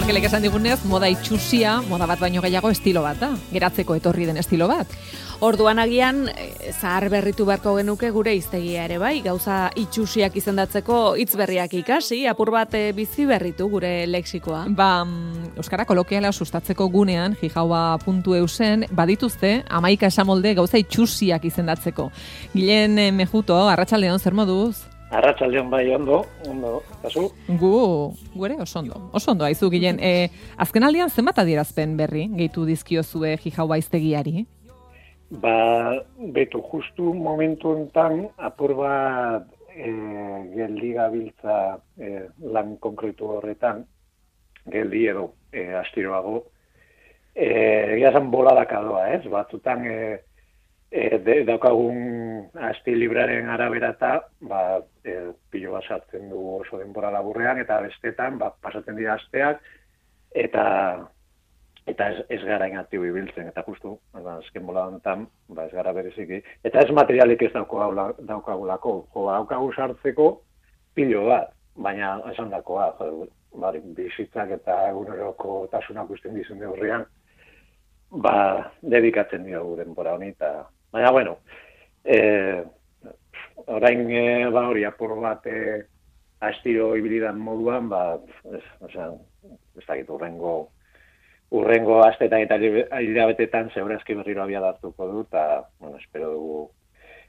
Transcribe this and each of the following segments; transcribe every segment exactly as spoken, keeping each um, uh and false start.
Markelek esan digunez, moda itxusia, moda bat baino gehiago estilo bat da. Geratzeko etorri den estilo bat. Orduan agian, zahar berritu beharko genuke gure hiztegia ere bai, gauza itxusiak izendatzeko hitz berriak ikasi, apur bat bizi berritu gure lexikoa. Ba, euskara kolokiala sustatzeko gunean, jijaua puntu eu zen, badituzte, hamaika esamolde gauza itxusiak izendatzeko. Gilen Mejuto, arratsaldeon zer moduz? Arratsaldeon bai, ondo, ondo, kasu? Gu, gure oso ondo, oso ondo, haizu Gilen. E, azken aldian zenbat adierazpen berri, gehitu dizkiozue jijaua hiztegiari? Ba, betu, justu momentu enten apur bat e, geldi gabiltza e, lan konkretu horretan, geldi edo e, astiroago, e, egia boladaka doa, ez? Batzutan e, e, de, daukagun asti libraren arabera eta ba, e, pilo bat sartzen du oso denbora laburrean, eta bestetan ba, pasatzen dira asteak, eta eta ez, ez gara inaktibo ibiltzen, eta justu, ba, azken bola honetan, ba, ez gara bereziki, eta ez materialik ez daukagulako, jo, daukagu sartzeko pilo bat, baina esan dakoa, jo, bari, bizitzak eta eguneroko tasunak usten dizun horrean, ba, dedikatzen diogu denbora honi, eta, baina, bueno, e, orain, e, ba, hori, apur bat, e, astiro ibilidan moduan, ba, ez, oza, ez dakit urrengo, Urrengo astetan eta hilabetetan segurazki berriro abia hartuko du, eta, bueno, espero dugu,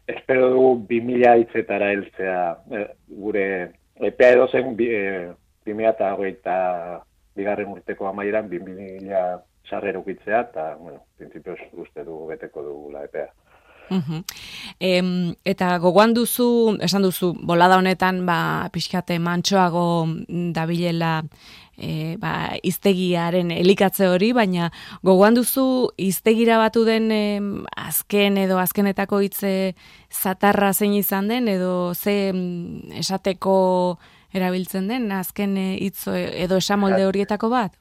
espero dugu bi mila hitzetara heltzea e, gure epea edo zen bi, e, bi mila eta hogeita bigarren urteko amaieran bi mila sarrera ukitzea, eta, bueno, printzipioz uste dugu beteko dugula epea. Uhum. E, eta gogoan duzu, esan duzu, bolada honetan, ba, pixkate mantsoago dabilela e, ba, hiztegiaren elikatze hori, baina gogoan duzu hiztegira batu den e, azken edo azkenetako hitze zatarra zein izan den, edo ze esateko erabiltzen den, azken hitz edo esamolde horietako bat?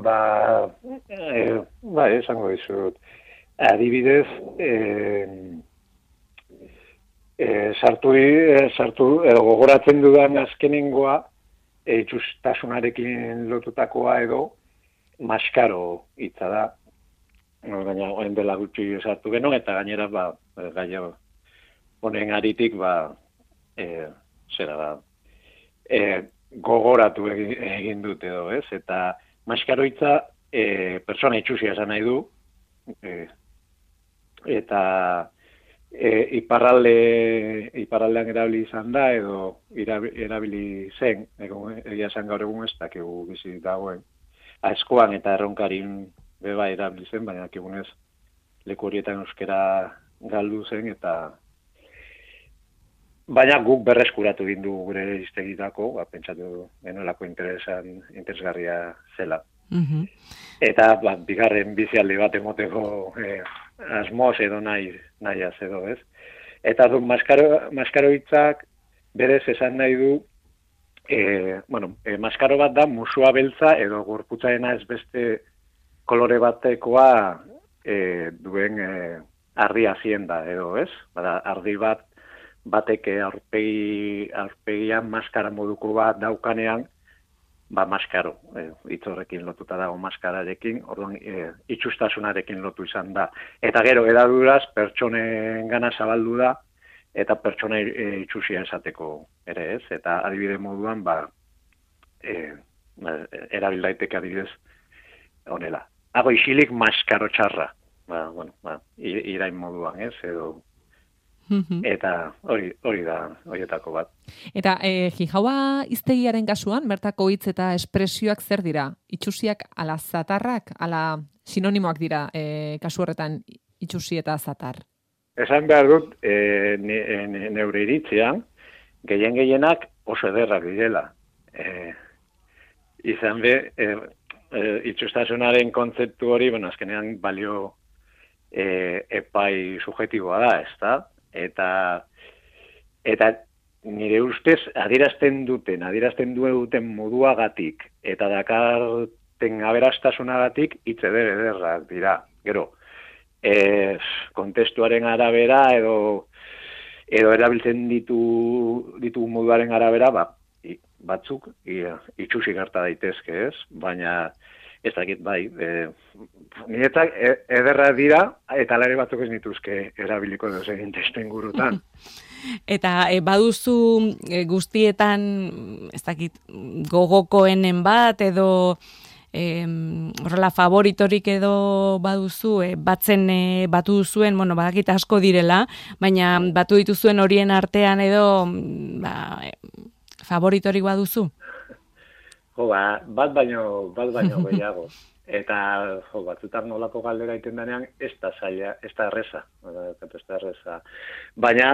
Ba, e, ba, esango dizut. Adibidez, eh, eh, sartu, eh, sartu, edo gogoratzen dudan azkenengoa, eh, itxustasunarekin lotutakoa edo, maskaro hitza da. No, gaina, oen dela gutxi sartu genuen, eta gainera, ba, gaia honen aritik, ba, eh, zera da, eh, gogoratu egin, egin dut edo, ez? Eta maskaro hitza, eh, persona itxusia esan nahi du, eh, eta e, iparralde iparraldean erabili izan da edo erabili zen, egia esan gaur egun ez dakigu bizi dagoen aizkoan eta erronkarin beba erabili zen, baina dakigunez leku horietan euskera galdu zen, eta baina guk berreskuratu egin du gure hiztegitako, ba, pentsatu genuelako interesan interesgarria zela. Mm-hmm. Eta ba, bigarren bizialdi bat emoteko eh, asmoz edo nahi, nahiaz edo, ez? Eta du, maskaro, maskaro hitzak berez esan nahi du, eh, bueno, eh, maskaro bat da musua beltza edo gorputzaena ez beste kolore batekoa eh, duen eh, ardi hazienda edo, ez? Bada, ardi bat batek aurpegi, aurpegian maskara moduko bat daukanean, ba, maskaro, eh, hitz horrekin lotuta dago maskararekin, orduan eh, itxustasunarekin lotu izan da. Eta gero, edaduraz, pertsonen gana zabaldu da, eta pertsona eh, itxusia esateko ere ez, eta adibide moduan, ba, eh, erabil daiteke adibidez honela. Hago isilik maskaro txarra, ba, bueno, ba, irain moduan ez, edo, eta hori hori da horietako bat. Eta e, jijaua hiztegiaren kasuan, bertako hitz eta espresioak zer dira? Itxusiak ala zatarrak, ala sinonimoak dira e, kasu horretan itxusi eta zatar? Esan behar dut, e, ne, ne, neure iritzean, gehien gehienak oso ederrak direla. E, izan be, e, e, itxustasunaren kontzeptu hori, bueno, azkenean balio e, epai subjektiboa da, ez da? Eta, eta nire ustez adierazten duten, adierazten duten moduagatik, eta dakarten aberastasunagatik hitz eder ederrak dira. Gero, e, kontestuaren arabera edo edo erabiltzen ditu ditu moduaren arabera, ba, batzuk itxusi gerta daitezke, ez? Baina ez dakit bai, e, niretzak ederra dira eta alare batzuk ez nituzke erabiliko doz egin testu ingurutan. Eta e, baduzu e, guztietan, ez dakit, gogokoenen bat edo e, horrela favoritorik edo baduzu, e, batzen e, batu duzuen, bueno, badakit asko direla, baina batu dituzuen horien artean edo ba, e, favoritorik baduzu? Jo, ba, bat baino, bat baino gehiago. Eta, jo, batzutan nolako galdera iten denean, ez da zaila, ez da erreza. Ez da erreza. Baina,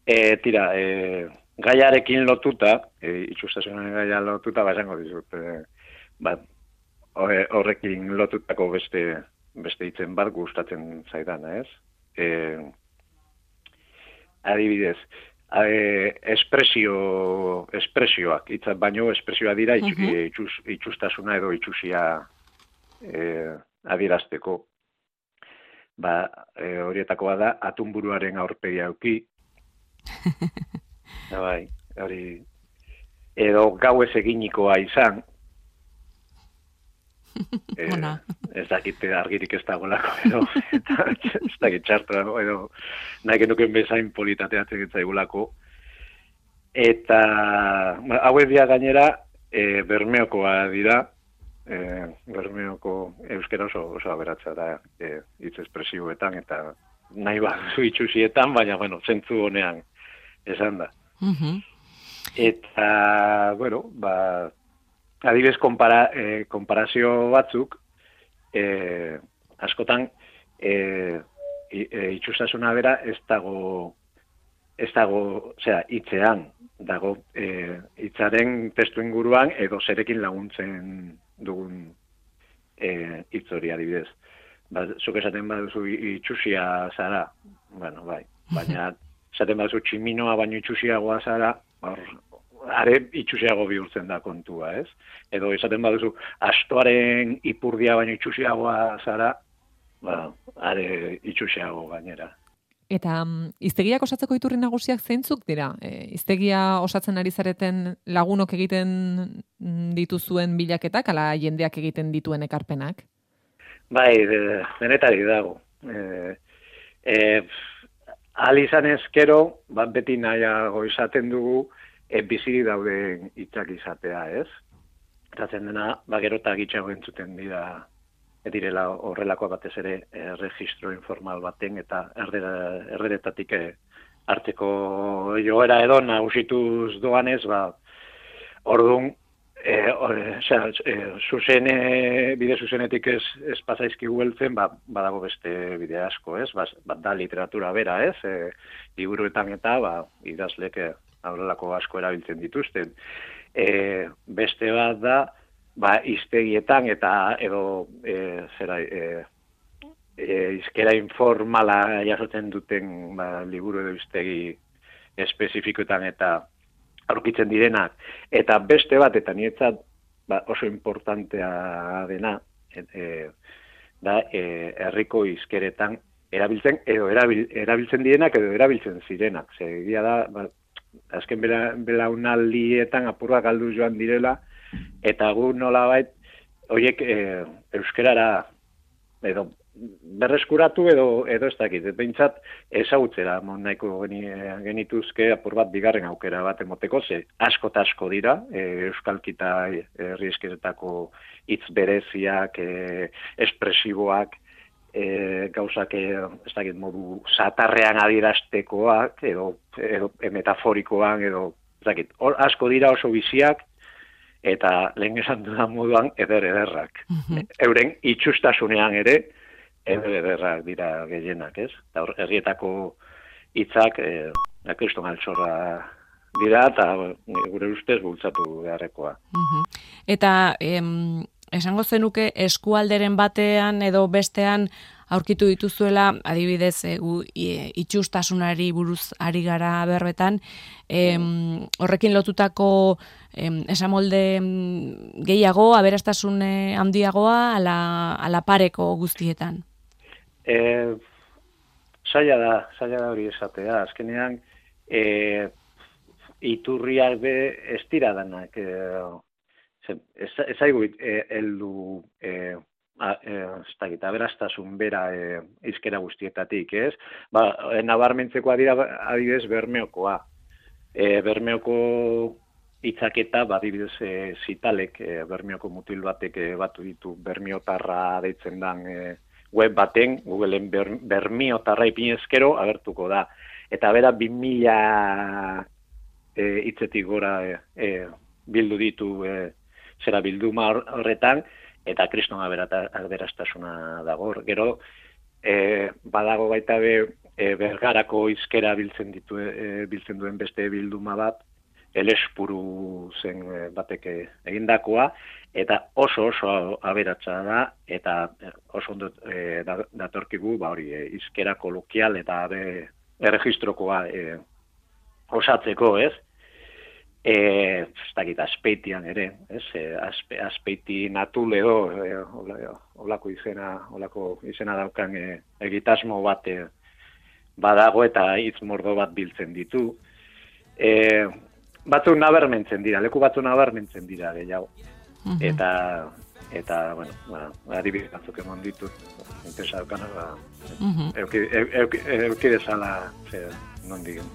e, tira, e, gaiarekin lotuta, e, itxustasunan gaia lotuta, ba, esango dizut, e, ba, horrekin lotutako beste, beste hitzen bat gustatzen zaidan, ez? E, adibidez, E, espresio, espresioak, itzat baino espresioa dira itx, uh-huh. itxus, itxustasuna edo itxusia e, adierazteko. Ba, e, horietakoa da, atunburuaren aurpegia auki. Da, bai, hori, edo gau ez eginikoa izan. E, ez dakit argirik ez dagoelako, edo, ez dakit txartra, edo nahi genuken bezain politateatzen getzaigulako. Eta hauek dira gainera e, Bermeokoa dira, e, Bermeoko euskera oso, oso aberatza da e, hitz espresioetan, eta nahi bat itxusietan, baina, bueno, zentzu honean esan da. Uh-huh. Eta, bueno, ba, adibidez, konpara, eh, konparazio batzuk, eh, askotan, eh, itxustasuna bera ez dago, ez dago, osea, hitzean, dago, eh, hitzaren testu inguruan edo zerekin laguntzen dugun eh, hitz hori adibidez. Ba, zuk esaten baduzu itxusia zara, bueno, bai, baina esaten baduzu tximinoa baino itxusiagoa zara, hor, are itxusiago bihurtzen da kontua, ez? Edo esaten baduzu, astoaren ipurdia baino itxusiagoa zara, ba, are itxusiago gainera. Eta um, hiztegiak osatzeko iturri nagusiak zeintzuk dira? E, hiztegia osatzen ari zareten lagunok egiten dituzuen bilaketak, ala jendeak egiten dituen ekarpenak? Bai, de, denetari dago. E, e, ahal izan ezkero, bat beti nahiago izaten dugu, E, biziri dauden hitzak izatea, ez? Eratzen dena, ba, gero eta gitxago entzuten dira, direla horrelakoa batez ere e, registro informal baten eta erderetatik e, hartzeko joera edo nagusituz doanez, ba, orduan, e, or, sea, e, zuzene, bide zuzenetik ez, ez pasaizki gueltzen, ba, badago beste bide asko, ez? Ba, bat da literatura bera, ez? E, liburuetan eta, ba, idazlek horrelako asko erabiltzen dituzten. E, beste bat da, ba, hiztegietan eta edo e, zera, e, e, hizkera informala jasotzen duten ba, liburu edo hiztegi espezifikoetan eta aurkitzen direnak. Eta beste bat, eta niretzat ba, oso importantea dena, e, e, da e, herriko hizkeretan erabiltzen edo erabil, erabiltzen direnak edo erabiltzen zirenak. Zegia da, ba, azken bela, belaunaldietan apurrak galdu joan direla, eta gu nolabait horiek e, euskerara edo berreskuratu edo edo ez dakit, behintzat ezagutzera nahiko genituzke apur bat bigarren aukera bat emoteko, ze asko eta asko dira, e, euskalkita herri eskeretako hitz bereziak, e, espresiboak, E, gauzak e, ez dakit modu satarrean adieraztekoak edo, edo e, metaforikoan edo ez dakit, hor asko dira oso biziak eta lehen esan dudan moduan eder ederrak. Mm-hmm. Euren itxustasunean ere eder ederrak dira gehienak, ez? Eta hor herrietako hitzak e, kriston altxorra dira eta gure ustez bultzatu beharrekoa. Mm-hmm. Eta em... esango zenuke eskualderen batean edo bestean aurkitu dituzuela, adibidez, e, gu, e, itxustasunari buruz ari gara berbetan, em, horrekin lotutako em, esamolde gehiago, aberastasun handiagoa, ala, ala pareko guztietan? E, zaila da, zaila da hori esatea. Azkenean, e, iturriak be ez dira danak, e, ez, ez aigu e, eldu e, a, e, ez da gita, aberastasun bera e, izkera guztietatik, ez? Ba, e, nabarmentzekoa dira adibidez Bermeokoa. E, Bermeoko hitzaketa, badibidez, e, zitalek, e, Bermeoko mutil batek e, batu ditu Bermiotarra deitzen dan e, web baten, Googleen ber, Bermiotarra ipinezkero agertuko da. Eta bera bi mila e, hitzetik gora e, e, bildu ditu e, zera bilduma horretan, eta kriston aberastasuna dago. Gero, e, badago baita be, e, Bergarako hizkera biltzen ditu, e, biltzen duen beste bilduma bat, Elespuru zen e, batek egindakoa, eta oso oso aberatsa da, eta oso ondo e, datorkigu, ba hori, e, hizkera kolokial eta be, erregistrokoa e, osatzeko, ez? E, ez dakit, Azpeitian ere, ez? E, azpe, Azpeiti Natuleo, e, olako izena, olako izena daukan e, egitasmo bat e, badago eta hitz mordo bat biltzen ditu. E, batzuk nabarmentzen dira, leku batzuk nabarmentzen dira gehiago. Uh-huh. Eta, eta, bueno, ba, adibidez batzuk emon ditut, interesa daukana, ba, uh-huh. euki, euki, euki desala, non digen.